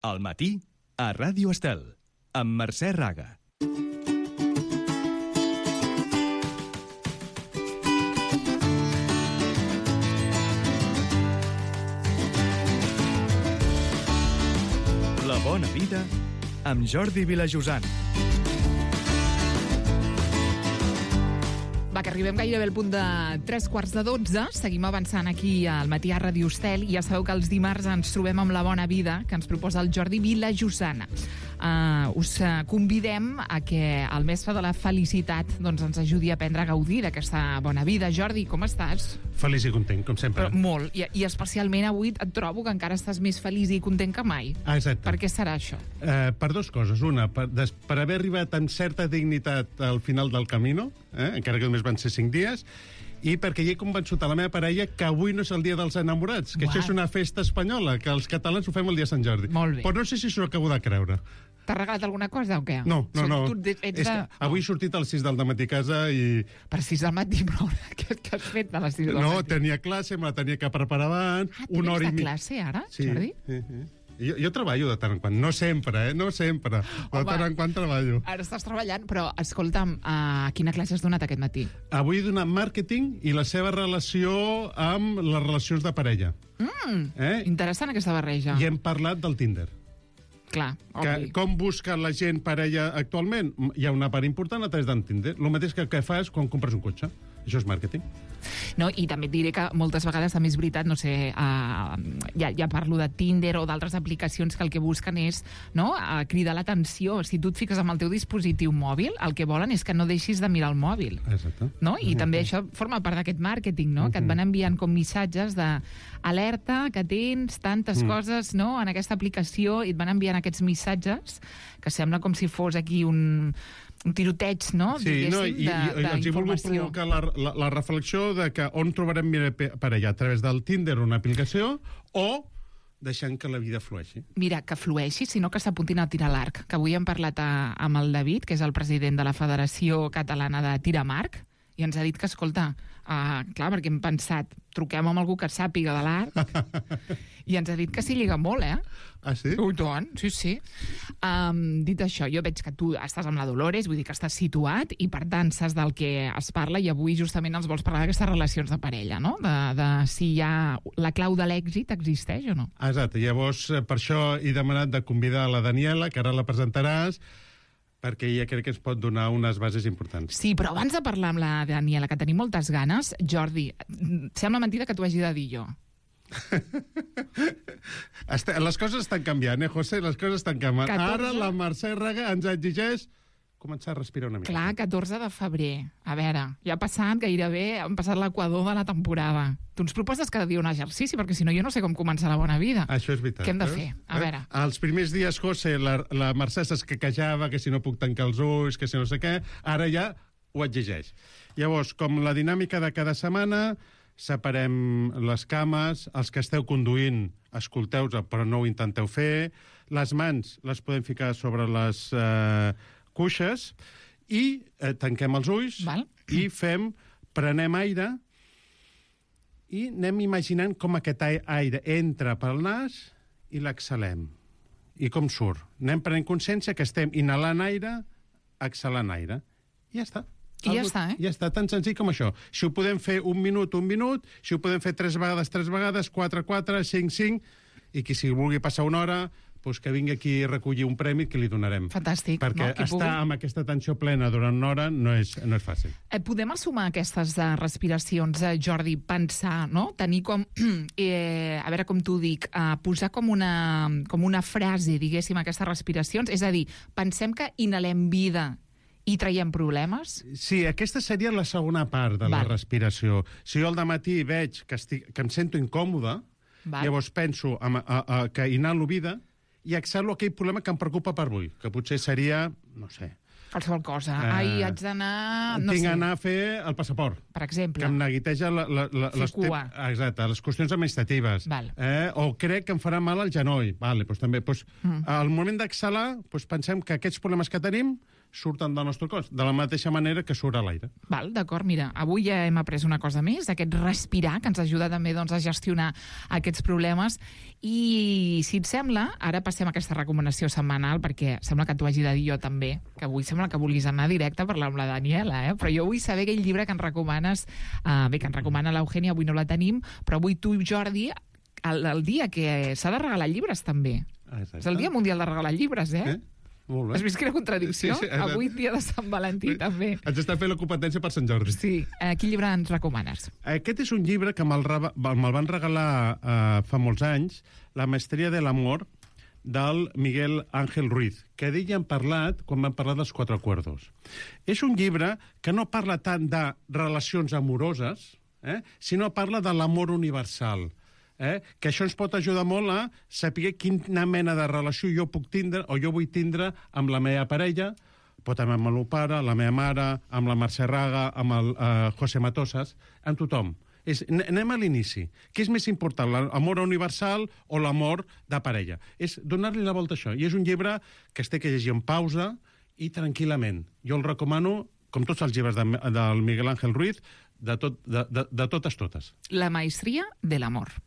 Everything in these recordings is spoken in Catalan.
Al matí, a Ràdio Estel, amb Mercè Raga. La bona vida amb Jordi Vilajosant. Va, que arribem gairebé al punt de 3:45. Seguim avançant aquí al matí a Ràdio Estel. Ja sabeu que els dimarts ens trobem amb La bona vida, que ens proposa el Jordi Vilajosant. Us convidem a que el mestre de la felicitat doncs, ens ajudi a aprendre a gaudir d'aquesta bona vida. Jordi, com estàs? Feliç i content, com sempre. Però molt, i especialment avui et trobo que encara estàs més feliç i content que mai. Exacte. Per què serà això? Per dues coses. Una, per haver arribat amb certa dignitat al final del camino, encara que només van ser 5 dies, i perquè hi he convençut a la meva parella que avui no és el dia dels enamorats, que això és una festa espanyola, que els catalans ho fem el dia de Sant Jordi. Molt bé. Però no sé si s'ho acabo de creure. T'ha regalat alguna cosa o què? No. Avui he sortit a les 6 del matí a casa i... Per 6 del matí, però què has fet a les 6 del matí? No, tenia classe, me la tenia que preparar abans. Una hora i mitja. Classe ara, sí, Jordi? Sí. Jo treballo de tant en quant. No sempre, no sempre. De tant en quant treballo. Ara estàs treballant, però escolta'm, quina classe has donat aquest matí? Avui he donat màrqueting i la seva relació amb les relacions de parella. Interessant aquesta barreja. I hem parlat del Tinder. Clar, obvi. Com busca la gent parella actualment? Hi ha una part important a través del Tinder. El mateix que fas quan compres un cotxe. Això és màrqueting. No, i també et diré que moltes vegades, també és veritat, no sé, ja parlo de Tinder o d'altres aplicacions que el que busquen és cridar l'atenció. Si tu et fiques amb el teu dispositiu mòbil, el que volen és que no deixis de mirar el mòbil. Exacte. No? I també això forma part d'aquest màrqueting, no? Que et van enviant com missatges d'alerta, que tens tantes coses en aquesta aplicació, i et van enviant aquests missatges que sembla com si fos aquí un tiroteig, no? Sí, i els he volgut provocar la reflexió de que on trobarem parella, a través del Tinder, una aplicació, o deixant que la vida flueixi. Mira, que flueixi, sinó que s'apuntin a tirar l'arc, que avui hem parlat amb el David, que és el president de la Federació Catalana de Tir amb Arc, i ens ha dit que, escolta, clar, perquè hem pensat, truquem amb algú que sàpiga de l'arc, i ens ha dit que s'hi lliga molt, Ah, sí? Sí. Dit això, jo veig que tu estàs amb la Dolores, vull dir que estàs situat, i per tant saps del que es parla, i avui justament ens vols parlar d'aquestes relacions de parella, no? De si hi ha la clau de l'èxit existeix o no. Exacte, llavors per això he demanat de convidar a la Daniela, que ara la presentaràs, perquè ella crec que ens pot donar unes bases importants. Sí, però abans de parlar amb la Daniela, que tenim moltes ganes, Jordi, sembla mentida que t'ho hagi de dir jo. Les coses estan canviant, José? Les coses estan canviant. 14... Ara la Mercè Raga ens exigeix començar a respirar una mica. Clar, 14 de febrer. A veure, ja ha passat gairebé, hem passat l'equador de la temporada. Tu ens proposes cada dia un exercici, perquè si no jo no sé com començar la bona vida. Això és veritat. Què hem de fer? A veure. Els primers dies, José, la Mercè s'escaquejava, que si no puc tancar els ulls, que si no sé què. Ara ja ho exigeix. Llavors, com la dinàmica de cada setmana, separem les cames, els que esteu conduint, escolteu-vos, però no ho intenteu fer. Les mans les podem ficar sobre les cuixes i tanquem els ulls. Val. I prenem aire i anem imaginant com aquest aire entra pel nas i l'exhalem. I com surt. Anem prenent consciència que estem inhalant aire, exhalant aire. I ja està. I ja està, Ja està, tan senzill com això. Si ho podem fer un minut, si ho podem fer 3 vegades, 4, 5, i qui si vulgui passar una hora, doncs que vingui aquí a recollir un premi que li donarem. Fantàstic. Perquè estar amb aquesta atenció plena durant una hora no és fàcil. Podem assumar aquestes respiracions, Jordi, pensar, no? Tenir com, a veure com t'ho dic, posar com una frase, diguéssim, aquestes respiracions, és a dir, pensem que inhalem vida i traiem problemes? Sí, aquesta seria la segona part de la respiració. Si jo al dematí veig que em sento incòmode, llavors penso que inhalo vida i exhalo aquell problema que em preocupa per avui, que potser seria, no sé... Qualsevol cosa. Haig d'anar... Tinc d'anar a fer el passaport. Per exemple. Que em neguiteja les qüestions administratives. O crec que em farà mal al genoll. Vale, doncs també. Al moment d'exhalar, pensem que aquests problemes que tenim surten del nostre cos, de la mateixa manera que surt a l'aire. Val, d'acord, mira, avui ja hem après una cosa més, aquest respirar, que ens ajuda també doncs, a gestionar aquests problemes. I, si et sembla, ara passem a aquesta recomanació setmanal, perquè sembla que t'ho hagi de dir jo també, que avui sembla que vulguis anar directe a parlar amb la Daniela, però jo vull saber aquell llibre que ens recomanes, que ens recomana l'Eugènia, avui no la tenim, però avui tu, Jordi, el dia que s'ha de regalar llibres, també. Exacte. És el Dia Mundial de Regalar Llibres, Molt bé. Has vist quina contradicció? Sí, avui dia de Sant Valentí, també. Ens està fent la competència per Sant Jordi. Sí. Quin llibre ens recomanes? Aquest és un llibre que me'l van regalar fa molts anys, La maestria de l'amor, del Miguel Ángel Ruiz, que d'ell hem parlat quan vam parlar dels 4 acuerdos. És un llibre que no parla tant de relacions amoroses, sinó parla de l'amor universal. Que això ens pot ajudar molt a saber quina mena de relació jo puc tindre o jo vull tindre amb la meva parella, pot també amb el meu pare, la meva mare, amb la Mercè Raga, amb el José Matosas, amb tothom. Anem a l'inici. Què és més important, l'amor universal o l'amor de parella? És donar-li la volta a això. I és un llibre que es té que llegir en pausa i tranquil·lament. Jo el recomano, com tots els llibres del Miguel Ángel Ruiz, de totes. La maestria de l'amor.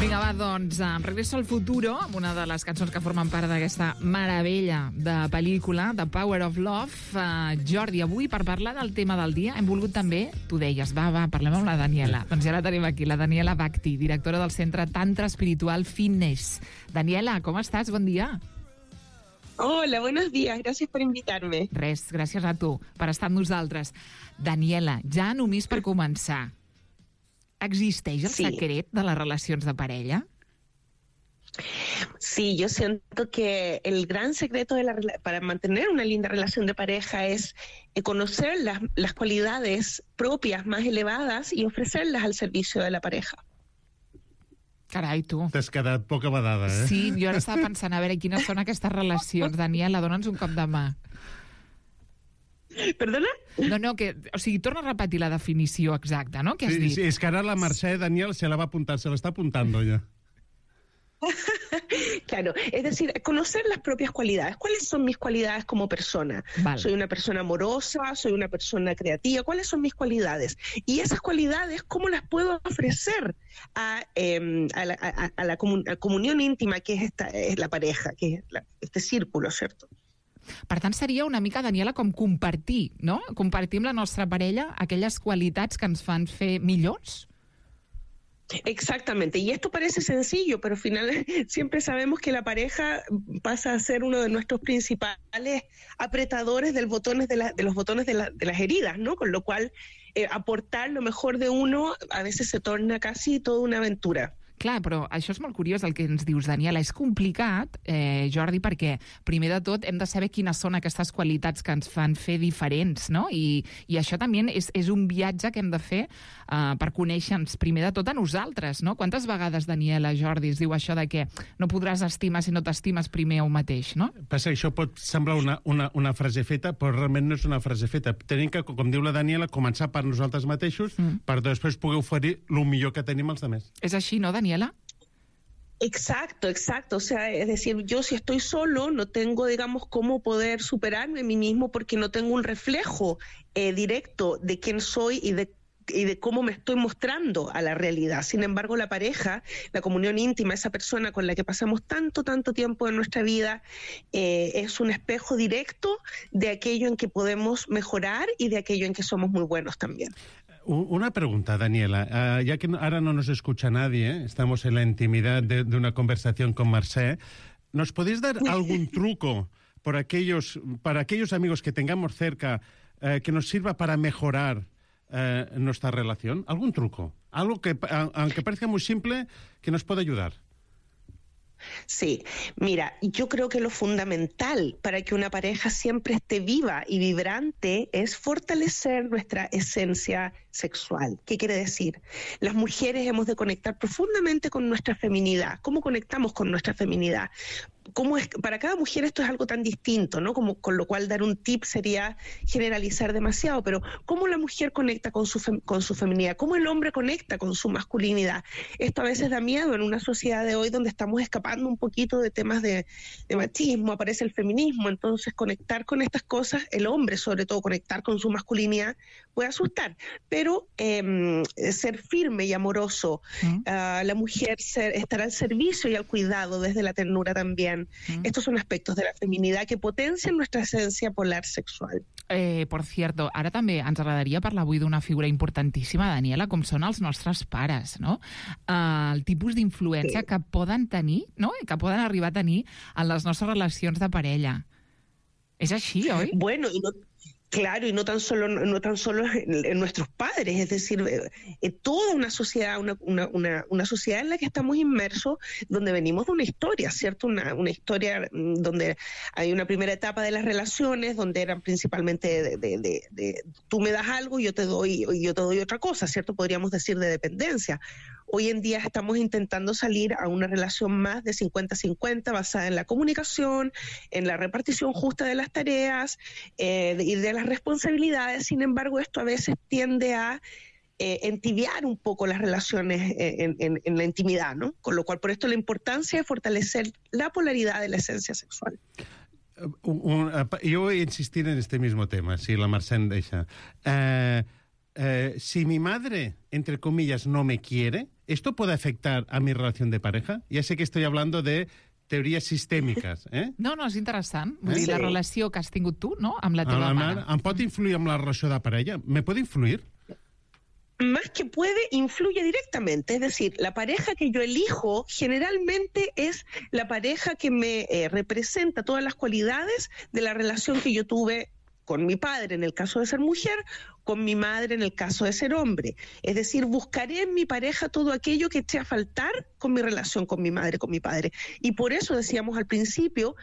Vinga, va, doncs, Regreso al futuro, amb una de les cançons que formen part d'aquesta meravella de pel·lícula, The Power of Love. Jordi, avui, per parlar del tema del dia, hem volgut també, tu deies, va, parlem amb la Daniela. Doncs ja la tenim aquí, la Daniela Bhakti, directora del Centre Tantra Espiritual Fitness. Daniela, com estàs? Bon dia. Hola, buenos días. Gracias por invitarme. Res, gràcies a tu per estar amb nosaltres. Daniela, ja només per començar, ¿existeix el secret de las relaciones de pareja? Sí, yo siento que el gran secreto para mantener una linda relación de pareja es conocer las cualidades propias más elevadas y ofrecerlas al servicio de la pareja. Carai, tu. T'has quedat poca badada, Sí, jo ara estava pensant, a veure, quines són aquestes relacions. Daniela, dona'ns un cop de mà. Perdona? No, o sigui, torna a repetir la definició exacta, no?, que has dit. Sí, és que ara la Mercè, Daniel, se la va apuntar, se la está apuntando ya. Claro, es decir, conocer las propias cualidades. ¿Cuáles son mis cualidades como persona? Vale. Soy una persona amorosa, soy una persona creativa. ¿Cuáles son mis cualidades? Y esas cualidades, ¿cómo las puedo ofrecer a la comunión íntima que es la pareja, que es este círculo, ¿cierto? Per tant, seria una mica, Daniela, com compartir, no? Compartir amb la nostra parella aquelles qualitats que ens fan fer millors? Exactamente, y esto parece sencillo, pero al final siempre sabemos que la pareja pasa a ser uno de nuestros principales apretadores de los botones de las heridas, ¿no? Con lo cual, aportar lo mejor de uno a veces se torna casi toda una aventura. Clar, però això és molt curiós el que ens dius, Daniela. És complicat, Jordi, perquè primer de tot hem de saber quines són aquestes qualitats que ens fan fer diferents, no? I això també és un viatge que hem de fer per conèixer-nos primer de tot a nosaltres, no? Quantes vegades, Daniela, Jordi, es diu això de que no podràs estimar si no t'estimes primer a un mateix, no? Passa que això pot semblar una frase feta, però realment no és una frase feta. Tenim que, com diu la Daniela, començar per nosaltres mateixos per després poder oferir el millor que tenim als altres. És així, no, Daniela? Exacto. O sea, es decir, yo si estoy solo no tengo, digamos, cómo poder superarme a mí mismo porque no tengo un reflejo directo de quién soy y de cómo me estoy mostrando a la realidad. Sin embargo, la pareja, la comunión íntima, esa persona con la que pasamos tanto tiempo en nuestra vida, es un espejo directo de aquello en que podemos mejorar y de aquello en que somos muy buenos también. Una pregunta, Daniela. Ya que ahora no nos escucha nadie, estamos en la intimidad de una conversación con Mercè, ¿nos podéis dar algún truco para aquellos amigos que tengamos cerca que nos sirva para mejorar nuestra relación? ¿Algún truco? Algo que, aunque parezca muy simple, que nos pueda ayudar. Sí, mira, yo creo que lo fundamental para que una pareja siempre esté viva y vibrante es fortalecer nuestra esencia sexual. ¿Qué quiere decir? Las mujeres hemos de conectar profundamente con nuestra feminidad. ¿Cómo conectamos con nuestra feminidad? cómo es, para cada mujer esto es algo tan distinto, ¿no? Como, con lo cual dar un tip sería generalizar demasiado, pero cómo la mujer conecta con su feminidad, cómo el hombre conecta con su masculinidad. Esto a veces da miedo en una sociedad de hoy donde estamos escapando un poquito de temas de machismo, aparece el feminismo, entonces conectar con estas cosas, el hombre sobre todo conectar con su masculinidad puede asustar, pero ser firme y amoroso, la mujer estar al servicio y al cuidado desde la ternura también. Estos son aspectos de la feminidad que potencian nuestra esencia polar sexual. Per cert, ara també ens agradaria parlar avui d'una figura importantíssima, Daniela, com són els nostres pares, no? El tipus d'influència que poden tenir, no? Que poden arribar a tenir en les nostres relacions de parella. És així, oi? Bueno, claro, y no tan solo en nuestros padres, es decir, toda una sociedad, una sociedad en la que estamos inmersos, donde venimos de una historia, ¿cierto? Una historia donde hay una primera etapa de las relaciones, donde eran principalmente de tú me das algo y yo te doy otra cosa, ¿cierto? Podríamos decir de dependencia. Hoy en día estamos intentando salir a una relación más de 50-50 basada en la comunicación, en la repartición justa de las tareas y de las responsabilidades. Sin embargo, esto a veces tiende a entibiar un poco las relaciones en la intimidad, ¿no? Con lo cual, por esto la importancia de fortalecer la polaridad de la esencia sexual. Yo voy a insistir en este mismo tema, si la Mercè em deixa. Si mi madre, entre comillas, no me quiere, ¿esto puede afectar a mi relación de pareja? Ya sé que estoy hablando de teories sistèmiques, No, és interessant. Vull dir, la relació que has tingut tu, no?, amb la teva mare. Em pot influir en la relació de parella? ¿Me puede influir? Más que puede, influye directamente. Es decir, la pareja que yo elijo generalmente es la pareja que me representa todas las cualidades de la relación que yo tuve con mi padre, en el caso de ser mujer, con mi madre, en el caso de ser hombre. Es decir, buscaré en mi pareja todo aquello que eche a faltar con mi relación con mi madre, con mi padre. Y por eso decíamos al principio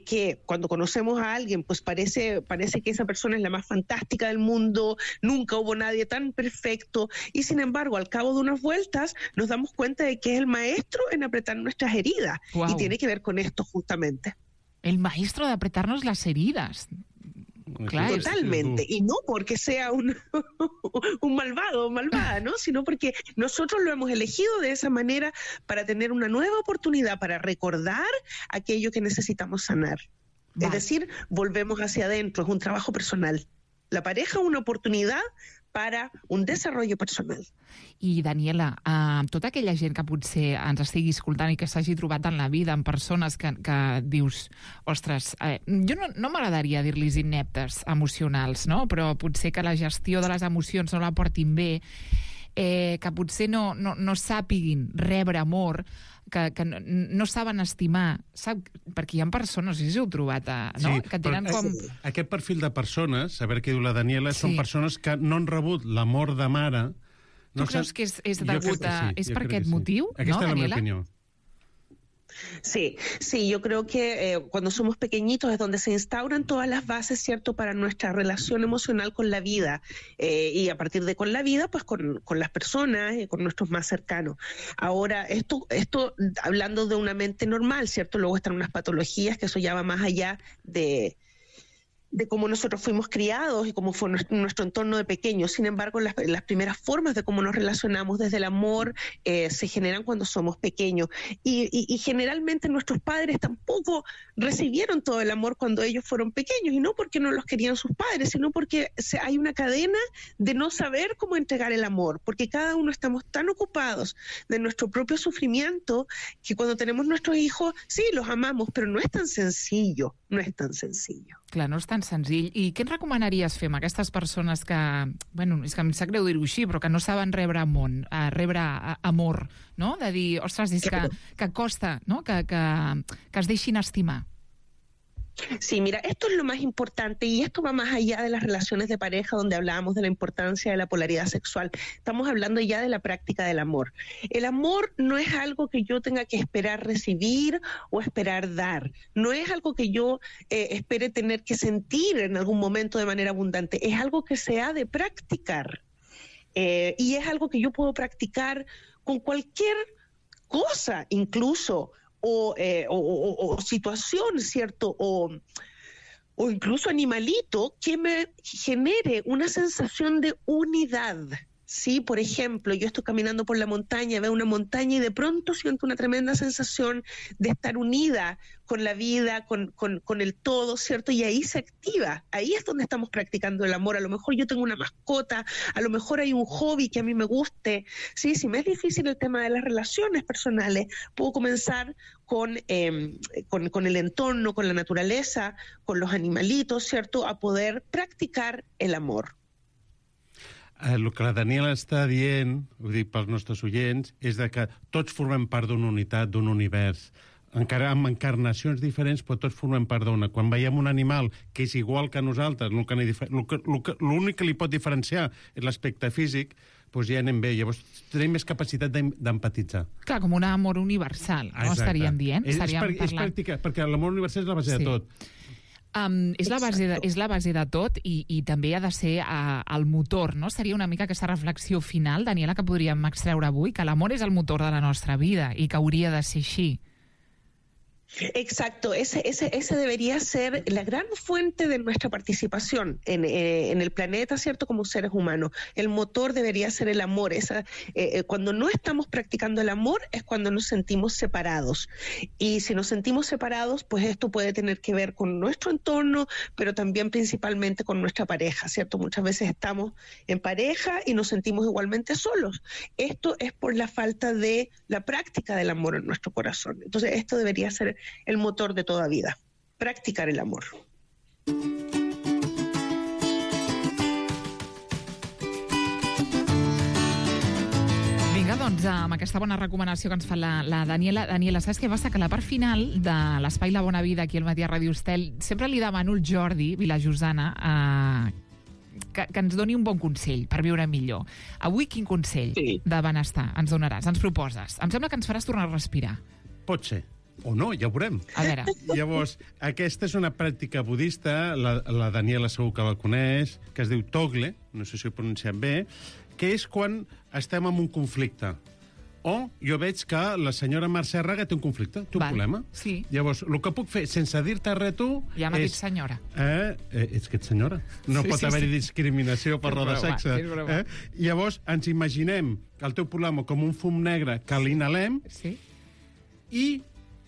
que cuando conocemos a alguien, pues parece que esa persona es la más fantástica del mundo, nunca hubo nadie tan perfecto, y sin embargo, al cabo de unas vueltas, nos damos cuenta de que es el maestro en apretar nuestras heridas. Wow. Y tiene que ver con esto justamente. El maestro de apretarnos las heridas. Claro, totalmente, y no porque sea un malvado o malvada, ¿no? Sino porque nosotros lo hemos elegido de esa manera para tener una nueva oportunidad, para recordar aquello que necesitamos sanar. Vale. Es decir, volvemos hacia adentro, es un trabajo personal. La pareja es una oportunidad para un desarrollo personal. I, Daniela, tota aquella gent que potser ens estigui escoltant i que s'hagi trobat en la vida amb persones que dius, ostres, jo no m'agradaria dir-los ineptes emocionals, no? Però potser que la gestió de les emocions no la portin bé, que potser no sàpiguin rebre amor, que no saben estimar, perquè hi ha persones, si heu trobat, no? Que tenen com... Aquest perfil de persones, a veure què diu la Daniela, són persones que no han rebut l'amor de mare. Tu creus que és degut a... És per aquest motiu, no, Daniela? Aquesta és la meva opinió. Sí, yo creo que cuando somos pequeñitos es donde se instauran todas las bases, ¿cierto?, para nuestra relación emocional con la vida, y a partir de con la vida, pues con las personas y con nuestros más cercanos. Ahora, esto hablando de una mente normal, ¿cierto? Luego están unas patologías que eso ya va más allá de cómo nosotros fuimos criados y cómo fue nuestro entorno de pequeños. Sin embargo, las primeras formas de cómo nos relacionamos desde el amor se generan cuando somos pequeños. Y generalmente nuestros padres tampoco recibieron todo el amor cuando ellos fueron pequeños, y no porque no los querían sus padres, sino porque hay una cadena de no saber cómo entregar el amor, porque cada uno estamos tan ocupados de nuestro propio sufrimiento que cuando tenemos nuestros hijos, sí, los amamos, pero no es tan sencillo, Clar, no és tan senzill. I què ens recomanaries fer amb aquestes persones que, bueno, és que em sap greu dir-ho així, però que no saben rebre amor, no? De dir, ostres, és que costa, no? Que es deixin estimar. Sí, mira, esto es lo más importante, y esto va más allá de las relaciones de pareja, donde hablábamos de la importancia de la polaridad sexual. Estamos hablando ya de la práctica del amor. El amor no es algo que yo tenga que esperar recibir o esperar dar. No es algo que yo espere tener que sentir en algún momento de manera abundante. Es algo que se ha de practicar. Y es algo que yo puedo practicar con cualquier cosa, incluso o situación, ¿cierto? O incluso animalito que me genere una sensación de unidad. Sí, por ejemplo, yo estoy caminando por la montaña, veo una montaña y de pronto siento una tremenda sensación de estar unida con la vida, con el todo, ¿cierto? Y ahí se activa, ahí es donde estamos practicando el amor. A lo mejor yo tengo una mascota, a lo mejor hay un hobby que a mí me guste, ¿sí? Si me es difícil el tema de las relaciones personales, puedo comenzar con el entorno, con la naturaleza, con los animalitos, ¿cierto? A poder practicar el amor. El que la Daniela està dient, ho dic pels nostres oients, és de que tots formem part d'una unitat, d'un univers, encara amb encarnacions diferents, però tots formem part d'una. Quan veiem un animal que és igual que nosaltres, l'únic que li pot diferenciar és l'aspecte físic, doncs ja anem bé. Llavors tenim més capacitat d'empatitzar. Clar, com un amor universal, no? Estaríem dient? És pràctica, perquè l'amor universal és la base de tot. És la base de tot i també ha de ser el motor, no? Seria una mica aquesta reflexió final, Daniela, que podríem extreure avui, que l'amor és el motor de la nostra vida i que hauria de ser així. Exacto, ese debería ser la gran fuente de nuestra participación en el planeta, ¿cierto? Como seres humanos. El motor debería ser el amor. Cuando no estamos practicando el amor es cuando nos sentimos separados. Y si nos sentimos separados, pues esto puede tener que ver con nuestro entorno, pero también principalmente con nuestra pareja, ¿cierto? Muchas veces estamos en pareja y nos sentimos igualmente solos. Esto es por la falta de la práctica del amor en nuestro corazón. Entonces, esto debería ser el motor de toda vida, practicar el amor. Vinga, doncs, amb aquesta bona recomanació que ens fa la Daniela. Daniela, saps què passa? Que a la part final de l'Espai La Bona Vida aquí al Matí a Ràdio Estel sempre li demano al Jordi Vilajosana que ens doni un bon consell per viure millor. Avui quin consell de benestar ens donaràs, ens proposes? Em sembla que ens faràs tornar a respirar. Pot ser. O no, ja ho veurem. A veure. Llavors, aquesta és una pràctica budista, la Daniela segur que la coneix, que es diu Togle, no sé si ho he pronunciat bé, que és quan estem en un conflicte. O jo veig que la senyora Mercè Raga té un conflicte, té un problema. Sí. Llavors, el que puc fer, sense dir-te res tu... Ja m'ha dit senyora. Ets que ets senyora. No pot haver-hi discriminació per raó de sexe. Llavors, ens imaginem el teu problema com un fum negre que l'inhalem i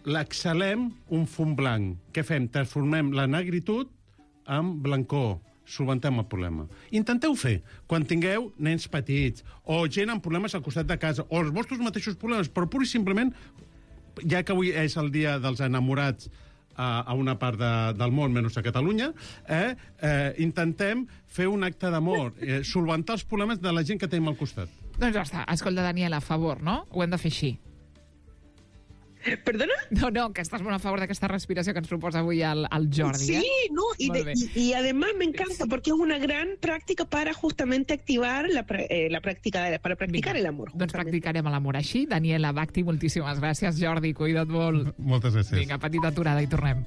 l'exhalem un fum blanc. Què fem? Transformem la negritud en blancor. Solventem el problema. Intenteu fer quan tingueu nens petits o gent amb problemes al costat de casa o els vostres mateixos problemes, però pur i simplement, ja que avui és el dia dels enamorats a una part del món, menys a Catalunya, intentem fer un acte d'amor, solventar els problemes de la gent que tenim al costat. Doncs ja està. Escolta, Daniela, a favor, no? Ho hem de fer així. ¿Perdona? No, que estás muy a favor de esta respiración que nos proposa hoy al Jordi. Sí, no, y además me encanta porque es una gran práctica para justamente activar la práctica, para practicar el amor. Doncs practicarem l'amor així. Daniela Bhakti, moltíssimes gràcies. Jordi, cuida't molt. Moltes gràcies. Vinga, petita aturada i tornem.